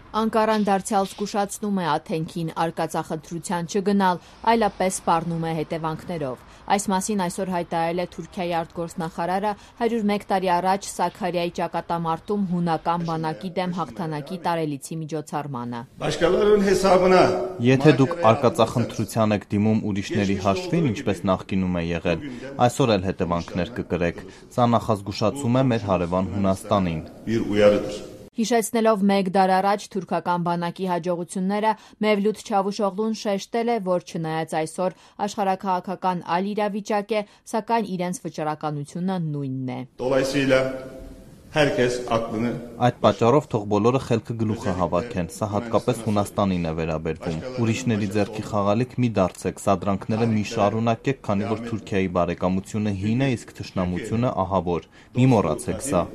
Անկարան դարձյալ զգուշացնում է Աթենքին արկածախնդրության չգնալ, այլապես սպառնում է հետևանքներով։ Այս մասին այսօր հայտարարել է Թուրքիայի արտգործնախարարը 101 տարի առաջ Սաքարիայի ճակատամարտում հունական բանակի դեմ հաղթանակի տարելիցի միջոցառմանը։ Եթե դուք արկածախնդրության եք դիմում ուրիշների հաշվին, ինչպես նախկինում է եղել, այսօր էլ հետևանքներ կկրեք։ Սա նախազգուշացում է մեր հարևան Հունաստանին։ Հիշեցնելով 1 դար առաջ թուրքական բանակի հաջողությունները, Մևլութ Չավուշօղլուն շեշտել է, որ չնայած այսօր աշխարհաքաղաքական այլ իրավիճակ է, սակայն իրենց վճռականությունը նույնն է։ Այդ պատճառով թող բոլորը խելքը գլուխը հավաքեն, սա հատկապես Հունաստանին է վերաբերվում։ Ուրիշների ձեռքի խաղալիք մի դարձեք, սադրանքները մի շարունակեք, քանի որ Թուրքիայի բարեկամությունը հին է, իսկ թշնամությունը ահավոր։ Մի մոռացեք սա։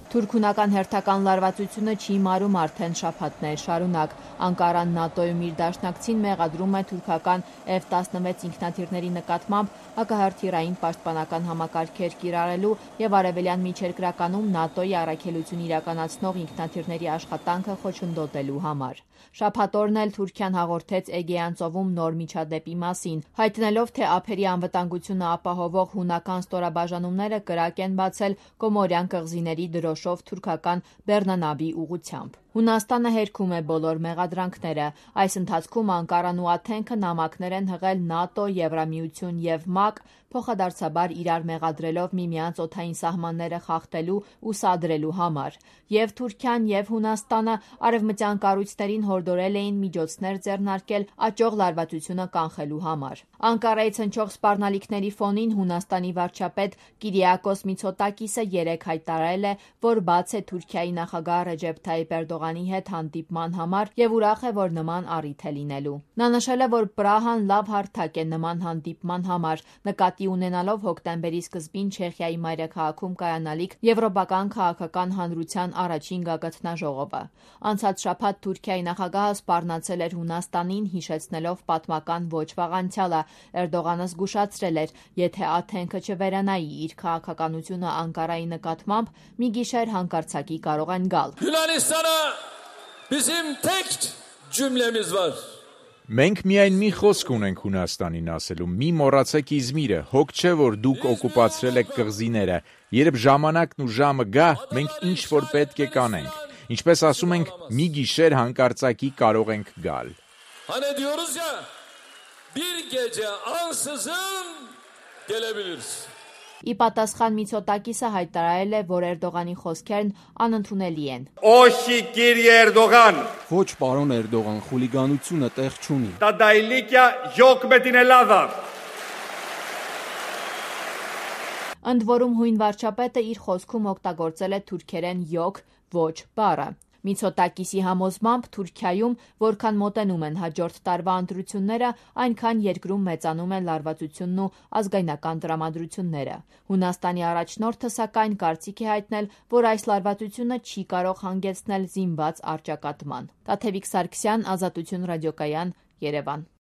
Թուրք-հունական հերթական լարվածությունը չի մարում արդեն շաբաթներ շարունակ։ Անկարան ՆԱՏՕ-ում իր դաշնակցին մեղադրում է թուրքական F-16 ինքնաթիռների նկատմամբ հակահրթիռային պաշտպանական համակարգեր կիրառելու և արևելյան միջերկրականում ՆԱՏՕ-ի առաքելություն իրականացնող ինքնաթիռների աշխատանքը խոչընդոտելու համար։ Շաբաթ օրն էլ Թուրքիան հաղորդեց Էգեյան ծովում նոր միջադեպի մասին, հայտնելով, թե ափերի անվտանգությունը ապահովող հունական ստորաբաժանումները կրակ են բացել Կոմորյան կղզիների դրոշով թուրքական բեռնանավի ուղղությամբ։ Հունաստանը հերքում է բոլոր մեղադրանքները։ Այս ընթացքում Անկարան ու Աթենքը նամակներ են հղել ՆԱՏՕ, Եվրամիություն և ՄԱԿ, փոխադարձաբար իրար մեղադրելով միմյանց օդային սահմանները խախտելու ու սադրելու համար։ Եվ Թուրքիան, և Հունաստանը արևմտյան կառույցներին հորդորել էին միջոցներ ձեռնարկել աճող լարվածությունը կանխելու համար։ Անկարայից հնչող սպառնալիքների ֆոնին Հունաստանի վարչապետ Կիրիակոս Միցոտակիսը երեկ հայտարարել է, որ բաց է Թուրքիայի նախագահ Ռեջեփ Թայիփ Էրդողանի հետ հանդիպման համար և ուրախ է, որ նման առիթ է լինելու։ Նա նշել է, որ Պրահան լավ հարթակ է նման հանդիպման համար, նկատի ունենալով հոկտեմբերի սկզբին Չեխիայի մայրաքաղաքում կայանալիք Եվրոպական քաղաքական հանրության առաջին գագաթնաժողովը։ Անցած շաբաթ Թուրքիայի նախագահը սպառնացել էր Հունաստանին, հիշեցնելով պատմական ոչ վաղ անցյալը։ Էրդողանը զգուշացրել էր, եթե Աթենքը չվերանայի իր քաղաքականությունը Անկարայի նկատմամբ, մի գիշեր հանկարծակի կարող են գալ։ Մենք միայն մի խոսք ունենք Հունաստանին ասելու՝ մի մոռացեք Իզմիրը, հոգ չէ, որ դուք օկուպացրել եք կղզիները, երբ ժամանակն ու ժամը գա, մենք ինչ-որ պետք է կանենք, ինչպես ասում ենք, մի գիշեր հանկարծակի կարող ենք գալ։ Ի պատասխան Միցոտակիսը հայտարարել է, որ Էրդողանի խոսքերն անընդունելի են։ Ոչ, պարոն Էրդողան, խուլիգանությունը տեղ չունի։ Ընդ որում հույն վարչապետը իր խոսքում օգտագործել է թուրքերեն «յոկ» ոչ բառը։ Միցոտակիսի համոզմամբ Թուրքիայում, որքան մոտենում են հաջորդ տարվա ընտրությունները, այնքան երկրում մեծանում են լարվածությունն ու ազգայնական տրամադրությունները։ Հունաստանի առաջնորդը, սակայն, կարծիք է հայտնել, որ այս լարվածությունը չի կարող հանգեցնել զինված առճակատման։ Տաթևիկ Սարգսյան, Ազատություն ռադիոկայան, Երևան։